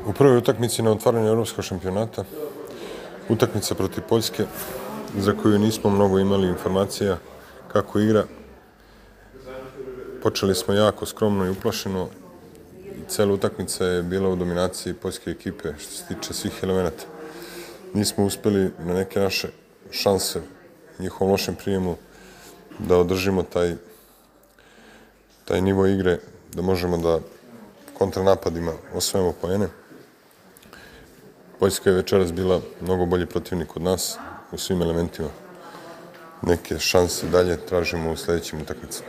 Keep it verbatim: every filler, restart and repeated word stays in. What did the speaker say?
U prvoj utakmici na otvaranju evropskog šampionata, utakmica protiv Poljske, za koju nismo mnogo imali informacija kako igra, počeli smo jako skromno i uplašeno i cela utakmica je bila u dominaciji poljske ekipe što se tiče svih elemenata. Nismo uspeli na neke naše šanse njihovom lošem prijemu da održimo taj, taj nivo igre, da možemo da kontranapadima osvojimo poene. Poljska je večeras bila mnogo bolji protivnik od nas u svim elementima. Neke šanse dalje tražimo u sledećim utakmicama.